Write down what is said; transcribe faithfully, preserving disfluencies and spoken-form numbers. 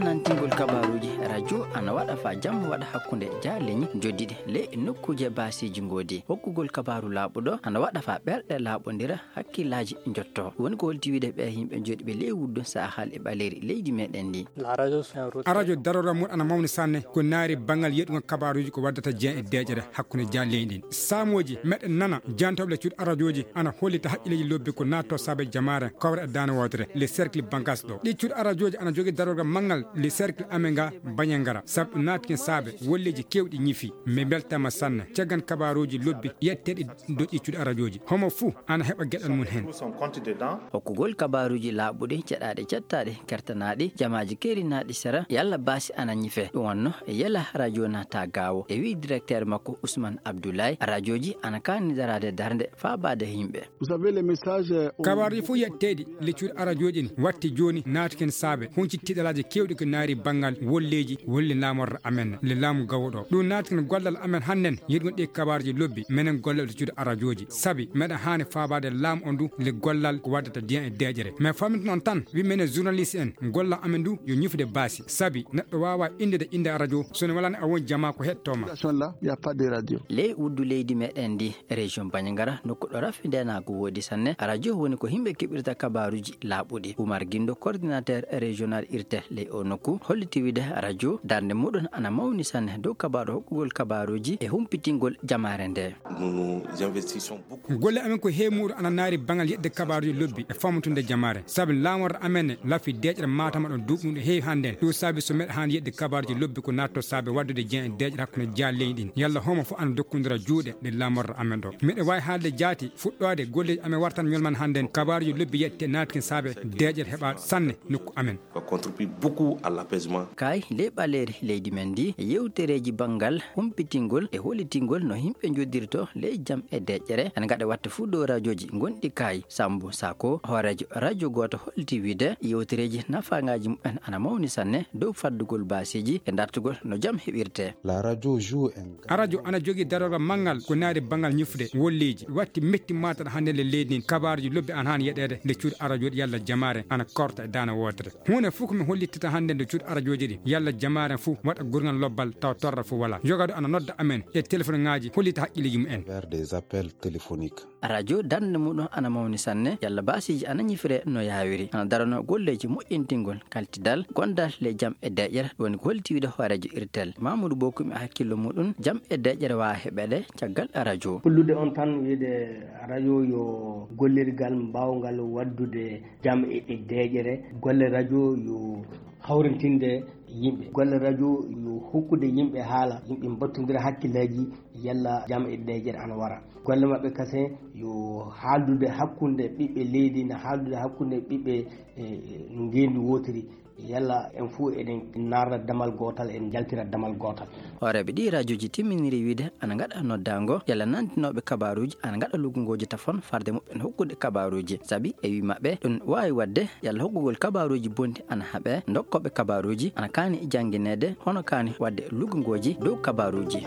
Nantingol kabaaruuji radio ana waɗa faa jam waɗa hakkunde jaaleñi joddiɗi ley nokkuuje baasiiji ngoodi. Hokkugol kabaaru laaɓuɗo ana waɗa faa ɓerɗe laaɓondira hakkillaaji njotto. Woni ko holti wiide ɓe yimɓe jooɗiiɓe ley wuddu saahal e ɓaleeri leydi meɗen ndi. A radio darorgal mum ana mawni sanne ko naari banngal yeɗugol kabaaruuji ko waddata jeyan e deeƴere hakkunde jaaleñi ɗin. Saamooji meɗen nana jantooɓe le cuuɗi arajooji ana hollita haqqilleeji lobbi ko naatto saabe jamaare kawre e daane wootere le cercle bankas ɗo. Ɗi cuuɗi arajooji ana jogii darorgal manngal le cercle amenga bañangara sabu ɗum naatkin saabe wolleeji kewɗi ñifi. Mbe mbeltama sanne caggan kabaaruuji lobbi yetteeɗi doƴƴi cuuɗi arajooji. Homo fuu ana heɓa geɗal mum heen. Hokkugol kabaaruuji laaɓuɗi, ceɗaaɗi, cettaaɗi, kertanaaɗi, jamaaji keerinaaɗi sera, yalla baasi ana ñife. Ɗum wonno e yela radio naata gaawo. E wii directeur makko Ousmane Abdoulaye, radioji ana kaani daraade darnde faabaade yimɓe. Vous savez, les messages, euh, ont Kabaaruuji fof yetteeɗi le cuuɗi arajooji ɗin watti jooni naatuken saabe hunciti tiɗalaaji keewɗi ko naari banngal wolleeji wolle laamorre amen le laamu gawo ɗo. Ɗum naatuken gollal amen hannden yeɗugol ɗi kabaaruuji lobbi menen gollal le cuuɗi arajooji. Sabi meɗen haani faabaade laamu on du le gollal ko waddata diyan e deeƴere. Mais fammintu noon tan wi menen journaliste en gollal amen du yo ñifude baasi. Sabi neɗɗo waawa inndude innde radio so ne walani a won jamaa ko heɗtoo ma. Là, il n'y a pas de radio. Ley wuddu leydi meɗen ndi, région Bandiagara, nokku ɗo rafi ndeenaagu woodi sanne, radio woni ko yimɓe keɓirta kabaaruuji laaɓuɗi. Oumar Guindo, coordinateur régional irtel ley o nokku, holliti wiide radio darnde muɗum ana mawni sanne dow kabaaru hokkugol kabaaruuji e humpitingol jamaare nde. Nous nous investissons beaucoup. Golle amen ko heemuɗo ana naari banngal yeɗde kabaaruuji lobbi e fammutunde jamaare. Sabi laamorde amen ne lafi deeƴre Matam ɗon duuɓi ɗum ɗo heewi hannden. Ɗum saabi so meɗa haani yeɗde kabaaruuji lobbi ko naatto saabe waddude jeyan e deeƴre hakkunde jaaleñi ɗin. Yalla homo fof ana dokkondira juuɗe ɗe laamorde amen ɗo. Miɗo waawi haalde jaati fuɗɗoode golleeji amen wartan ñolman hannden. Kabaaruuji lobbi yette naatkin saabe deeƴre heɓa sanne nokku amen. On contribue beaucoup à l'apaisement. Kaay ley ɓaleeri leydi men ndi, yewtereeji banngal humpitingol e hollitingol no yimɓe njoddirto ley jam e deeƴere, ana ngaɗa watta fuu dow rajooji gonɗi kaay. Sammbu Sako, hooreejo rajo gooto holliti wiide yewtereeji nafaangaaji mumen ana mawni sanne dow faddugol baasiiji e dartugol no jam heɓirte. La radio joue un A radio ana jogii darorgal manngal ko naari banngal ñifde wolleeji. Watti metti maataɗo hannde le leydi ndin. Kabaaruuji lobbi ana haani yeɗeede nde cuuɗi arajooɗi yalla jamaare ana korta e daana wootere. Huunde fof ko mi hollittata hannde nde cuuɗi arajooji ɗi yalla jamaare fof waɗa gurngal lobbal taw torra fof wala. Jogaaɗo ana nodda amen e téléphone ŋaaji hollita haqqilleeji mumen. Vers des appels téléphoniques. Radio darnde muɗum ana mawni sanne, yalla baasiiji ana ñifire no yaawiri. Ana darano golleeji moƴƴintingol kaltidal, gondal le jam e deeƴere, woni ko holti wiide hooreejo irtel. Mamadou Bokoum e hakkillo muɗum, jam e deeƴere waawa heɓeede caggal radio. Hollude on tan wiide radio yo gollirgal mbaawngal waddude jam e, e deeƴere, golle radio yo hawrintinde yimɓe. Golle radio yo hokkude yimɓe haala, yimɓe mbattondira hakkillaaji yalla jam e deeƴere ana wara. Golle maɓɓe kasen yo haaldude hakkunde ɓiɓɓe leydi, na haaldude hakkunde ɓiɓɓe, e, e, ngeenndi wootiri. Yalla en fof eɗen naarra damal gootal, en njaltira damal gootal. Hooreeɓe ɗi rajooji timminiri wiide ana ngaɗa noddaango, yalla nantinooɓe kabaaruuji ana ngaɗa luggungooji tafon farde muɓɓen hokkude kabaaruuji. Sabi e wii maɓɓe ɗum waawi waɗde yalla hokkugol kabaaruuji bonɗi ana haɓe, ndokkooɓe kabaaruuji ana kaani janngineede, hono kaani waɗde luggungooji dow kabaaruuji.